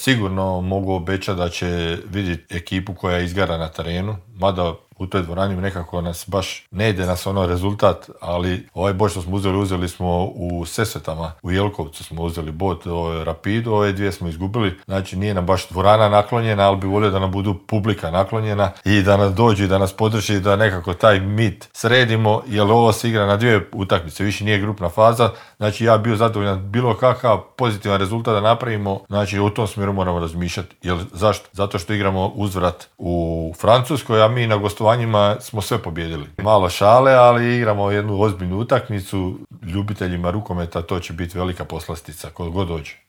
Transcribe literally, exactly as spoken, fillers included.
Sigurno mogu obećati da će vidjeti ekipu koja izgara na terenu, mada u toj dvorani nekako nas baš ne ide nas ono rezultat, ali ovaj bod što smo uzeli, uzeli smo u Sesvetama, u Jelkovcu smo uzeli bod, ovaj Rapidu, ove dvije smo izgubili, znači nije nam baš dvorana naklonjena, ali bi volio da nam budu publika naklonjena i da nas dođu i da nas podrži, da nekako taj mit sredimo, jer ovo se igra na dvije utakmice, više nije grupna faza, znači ja bio zadovoljan bilo kakav pozitivan rezultat da napravimo, znači u tom smjeru moramo razmišljati, jer zašto? Zato što igramo uzvrat u Francuskoj, a mi na gostovanju njima smo sve pobijedili. Malo šale, ali igramo jednu ozbiljnu utakmicu. Ljubiteljima rukometa to će biti velika poslastica, kod god dođe.